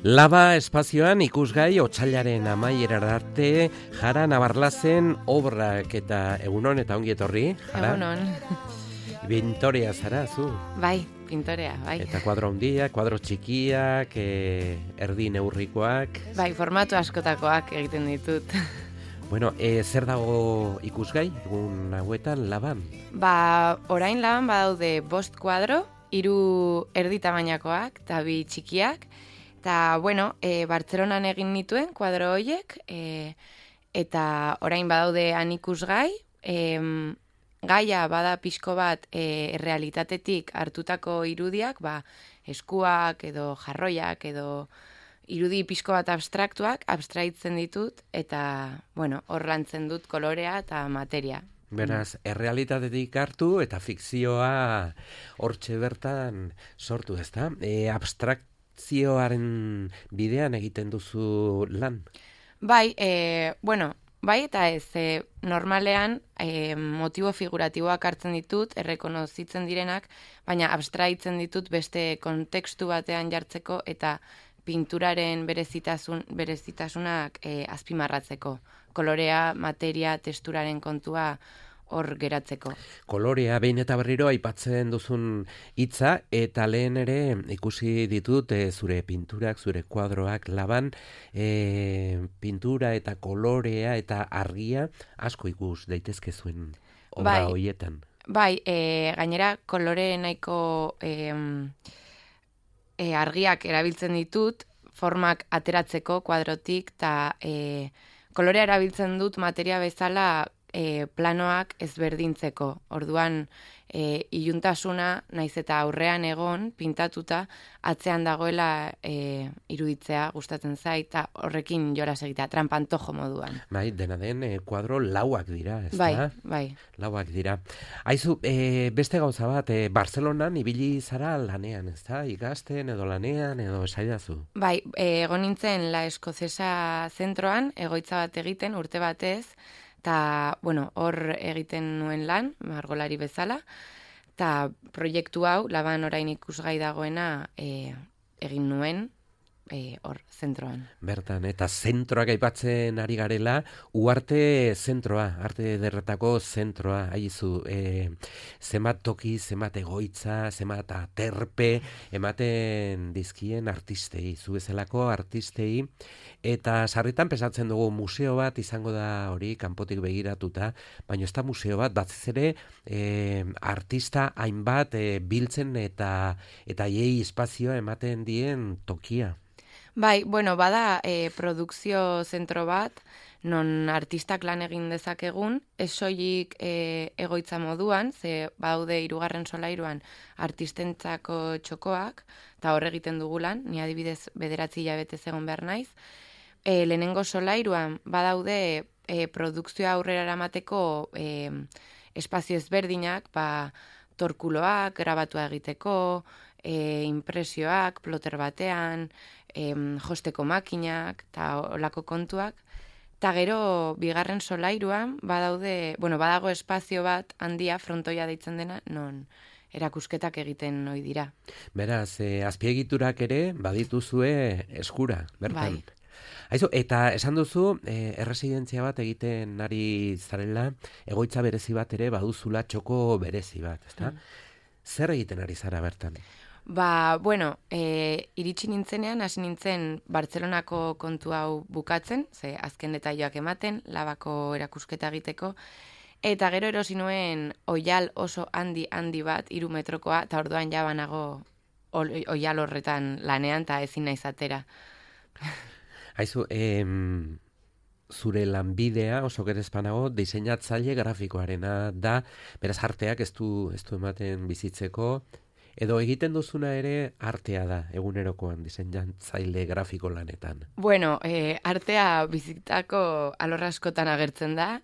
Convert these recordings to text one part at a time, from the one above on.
Laba espazioan ikusgai otsailaren amaierara arte Jara Nabarlazen obrak eta egunon eta ongi etorri. Jara? Egunon. Pintorea zara, zu? Bai, pintorea, bai. Eta kuadro handiak, kuadro txikiak, erdi neurrikoak. Bai, formatu askotakoak egiten ditut. Bueno, zer dago ikusgai egun hauetan Laban? Orain Laban badaude 5 kuadro, 3 erdi tamainakoak eta 2 txikiak. Eta, Bartzelonan egin nituen kuadro horiek, eta orain badaude han ikusgai, gaia bada pixko bat errealitatetik hartutako irudiak, eskuak edo jarroiak edo irudi pixko bat abstraitzen ditut, eta, hor lantzen dut kolorea eta materia. Beraz, errealitatetik hartu eta fikzioa hortxe bertan sortu, ezta? Abstrakzioaren bidean egiten duzu lan? Bai, bai eta ez, normalean motibo figuratiboak hartzen ditut, errekonozitzen direnak, baina abstraitzen ditut beste kontekstu batean jartzeko eta pinturaren berezitasunak azpimarratzeko. Kolorea, materia, testuraren kontua hor geratzeko. Kolorea behin eta berriro aipatzen duzun hitza eta lehen ere ikusi ditut zure pinturak, zure kuadroak Laban, pintura eta kolorea eta argia asko ikus daitezke zuen obra hoietan. Bai, gainera kolore nahiko argiak erabiltzen ditut, formak ateratzeko kuadrotik, eta kolorea erabiltzen dut materia bezala planoak ezberdintzeko. Orduan, iluntasuna, naiz eta aurrean egon, pintatuta, atzean dagoela iruditzea gustatzen zait, eta horrekin jolas egitea, trampantojo moduan. Bai, dena den, kuadro lauak dira, ez da? Bai. Lauak dira. Aizu, beste gauza bat, Bartzelonan ibili zara lanean, ez da? Ikasten edo lanean edo esaidazu? Bai, egon nintzen La Eskozesa zentroan, egoitza bat egiten, urte batez, eta, hor egiten nuen lan, margolari bezala, eta proiektu hau, Laban orain ikusgai dagoena, egin nuen, hor, zentroan. Bertan, eta zentroak aipatzen ari garela, Uarte zentroa, arte ederretako zentroa, haizu, zenbat toki, zenbat egoitza, zenbat aterpe, ematen dizkien artistei, zu bezalako artistei, eta sarritan pesatzen dugu museo bat izango da hori kanpotik begiratuta, baina ez da museo bat, batez ere artista hainbat biltzen eta hiei espazioa ematen dien tokia. Bai, bada produkzio zentro bat, non artistak lan egin dezakegun, ez soilik egoitza moduan, ze badaude 3. solairuan artistentzako txokoak, eta hor egiten dugu lan, ni adibidez 9 hilabetez egon behar naiz. Lehenengo solairuan badaude produkzioa aurrera eramateko espazio ezberdinak, torkuloak, grabatua egiteko, impresioak, ploter batean, josteko makinak eta olako kontuak. Eta gero, 2. solairuan badago espazio bat handia, frontoia deitzen dena, non erakusketak egiten ohi dira. Beraz, azpiegiturak ere badituzue eskura, bertan. Bai. Aizu, eta esan duzu, erresidentzia bat egiten ari zarela, egoitza berezi bat ere baduzula txoko berezi bat, ezta? Zer egiten ari zara bertan? Iritsi nintzenean, hasi nintzen Bartzelonako kontu hau bukatzen, ze azken detailak ematen, Labako erakusketa egiteko, eta gero erosi nuen oial oso handi bat, 3 metrokoa, eta orduan ja banago oial horretan lanean, eta ezin naiz atera. Aizu, zure lanbidea oso gerezpanago diseinatzaile grafikoarena da, beraz arteak ez du ematen bizitzeko, edo egiten duzuna ere artea da, egunerokoan diseinatzaile grafiko lanetan. Artea bizitzako alor askotan agertzen da,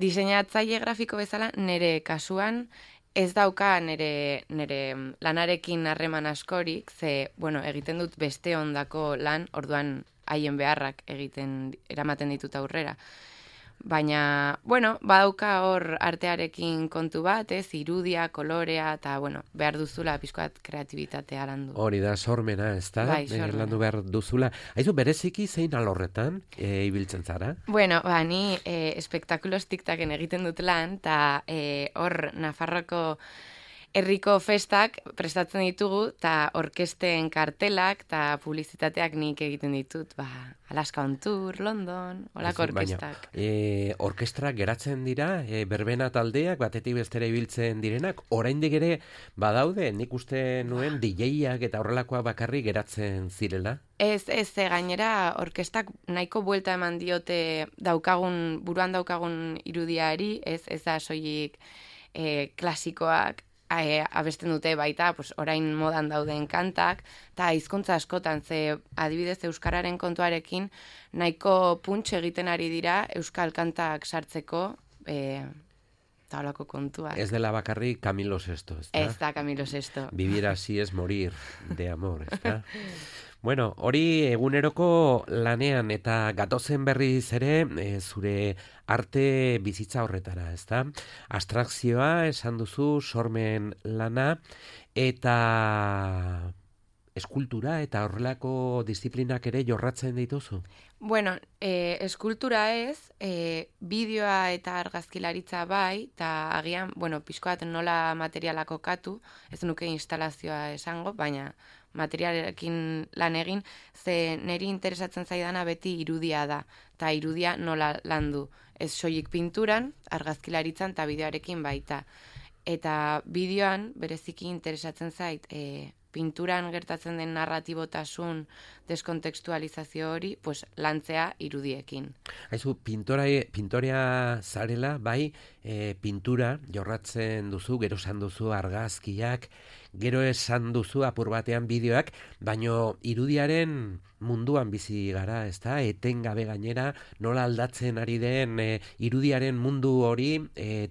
diseinatzaile grafiko bezala nire kasuan ez dauka nire lanarekin harreman askorik, ze, egiten dut beste ondako lan, orduan haien beharrak eramaten ditut aurrera. Baina, bueno, badauka hor artearekin kontu bat, irudia, kolorea, eta, bueno, behar duzula pixkoat kreatibitatea landu. Hori da, sormena, ez da? Bai, sormena. Landu behar duzula. Aizu, bereziki zein alorretan ibiltzen zara? Bueno, ni espektakulos tiktaken egiten dut lan, eta hor Nafarroko herriko festak prestatzen ditugu, eta orkesten kartelak eta publizitateak nik egiten ditut, Alaska on Tour, London, holako orkestak. Orkestra geratzen dira, berbena taldeak, batetik bestera ibiltzen direnak, oraindik ere badaude, nik uste nuen DJ-ak eta horrelakoa bakarrik geratzen zirela? Ez, gainera orkestak nahiko buelta eman diote buruan daukagun irudiari, ez da soilik klasikoak, abesten dute baita, orain modan dauden kantak, eta hizkuntza askotan, ze adibidez euskararen kontuarekin, nahiko puntxe egiten ari dira euskal kantak sartzeko, eta holako kontua. Ez dela bakarrik Camilo Sesto, ez da? Ez da Camilo Sesto. Vivir así es morir de amor, ez da? Bueno, hori eguneroko lanean eta gatozen berriz ere zure arte bizitza horretara, ez da? Abstrakzioa esan duzu, sormen lana eta eskultura eta horrelako disiplinak ere jorratzen dituzu? Bueno, eskultura ez, bideoa eta argazkilaritza bai, eta agian, pixkoat nola materialak kokatu, ez nuke instalazioa esango, baina materialekin lan egin, ze niri interesatzen zaidana beti irudia da, eta irudia nola landu. Ez soilik pinturan, argazkilaritzan eta bideoarekin baita. Eta bideoan bereziki interesatzen zait, pinturan gertatzen den narratibotasun deskontekstualizazio hori, lantzea irudiekin. Haizu, pintorea zarela, bai, pintura jorratzen duzu, gero esan duzu argazkiak, gero esan duzu apur batean bideoak, baino irudiaren munduan bizi gara, ez da? Etengabe gainera, nola aldatzen ari den irudiaren mundu hori,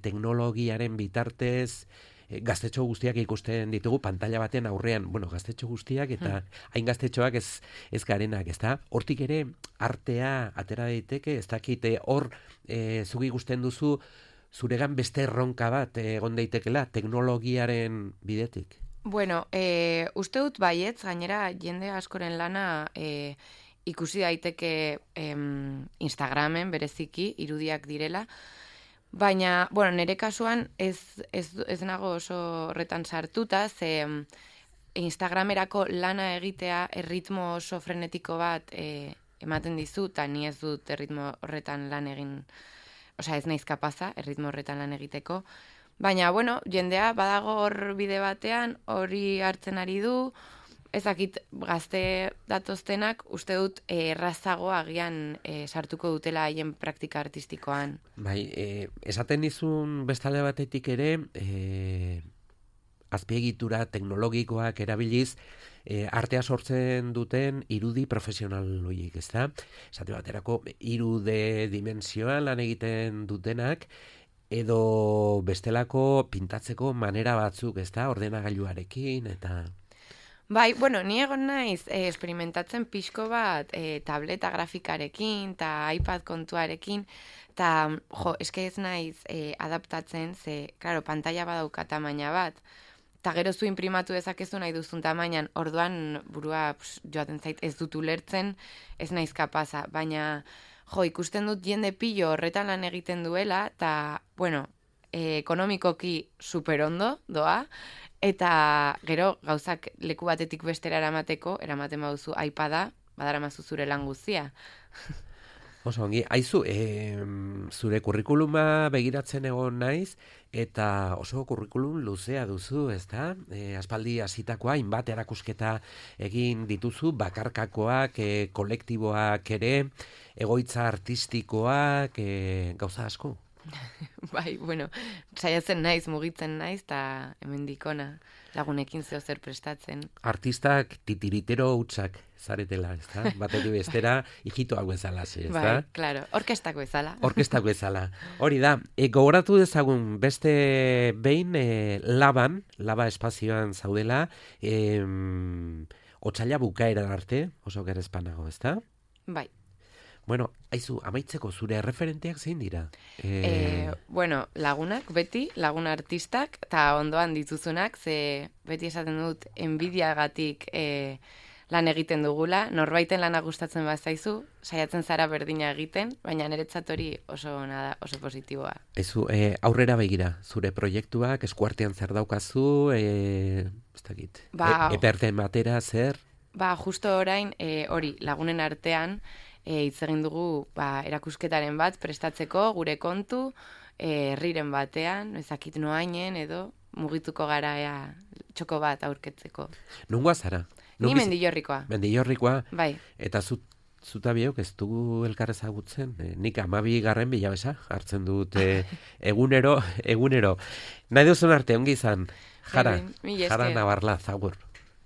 teknologiaren bitartez, gaztetxo guztiak ikusten ditugu pantalla baten aurrean, gaztetxo guztiak eta hain gaztetxoak ez garenak, ez da? Hortik ere artea atera daiteke, ez dakite hor zugi ikusten duzu zuregan beste erronka bat egon daitekela teknologiaren bidetik? Uste dut baietz, gainera jende askoren lana ikusi daiteke Instagramen bereziki irudiak direla, baina, nire kasuan ez nago oso horretan sartuta, ze Instagramerako lana egitea erritmo oso frenetiko bat ematen dizu, eta ni ez dut erritmo horretan lan egin, ez naiz kapaza erritmo horretan lan egiteko, baina, jendea badago hor bide batean, hori hartzen ari du, ezakit gazte datoztenak, uste dut errazago agian sartuko dutela haien praktika artistikoan. Bai, esaten dizun bestalde batetik ere, azpiegitura teknologikoak erabiliz, artea sortzen duten irudi profesional horiek, ez da? Esate baterako, 3D dimensioan lan egiten dutenak, edo bestelako pintatzeko manera batzuk, ez da? Ordenagailuarekin, eta... Bai, ni egon naiz experimentatzen pixko bat tableta grafikarekin eta iPad kontuarekin, eta eske ez naiz adaptatzen, ze, klaro, pantalla badauka tamaina bat, eta gero zu imprimatu dezakezu nahi duzun tamainan, orduan burua joaten zait ez dut ulertzen, ez naiz kapaza, baina ikusten dut jende pilo horretan lan egiten duela, eta, ekonomikoki superondo doa, eta gero gauzak leku batetik bestera eramaten baduzu iPada, badaramazu zure lan guztia. Oso ongi, aizu, zure kurrikuluma begiratzen egon naiz, eta oso kurrikulum luzea duzu, ez da? Aspaldi hasitakoa, hainbat erakusketa egin dituzu, bakarkakoak, kolektiboak ere, egoitza artistikoak, gauza asko. Bai, saiatzen naiz, mugitzen naiz, eta hemendik ona lagunekin zeo zer prestatzen. Artistak titiritero hutsak zaretela, ez da? Batetik bestera, hijitoak bezala, ez da? Bai, klaro, orkestak bezala. Orkestak bezala. Hori da, gogoratu dezagun beste behin laba espazioan zaudela, otsaila bukaera arte, oso gerezpanago, ez da? Bai. Bueno, aizu, amaitzeko zure referenteak zein dira? Bueno, lagunak, beti, lagun artistak, eta ondoan dituzunak, ze beti esaten dut, enbidiagatik lan egiten dugula, norbaiten lana gustatzen bazaizu, saiatzen zara berdina egiten, baina niretzat hori oso ona da, oso positiboa. Ezu, aurrera begira, zure proiektuak, eskuartean zer daukazu, ez dakit, eperten batera, zer? Justo orain, hori, lagunen artean, hitz egin dugu erakusketaren bat prestatzeko, gure kontu, herriren batean, ezakit noainen edo mugituko gara txoko bat aurketzeko. Nungoa zara? Ni Mendillorrikoa. Mendillorrikoa? Bai. Eta zuta biok ez dugu elkar ezagutzen? Nik 12. bilabesa hartzen dut egunero. Nahi duzun arte, ongi izan. Jara Navarla, zagur.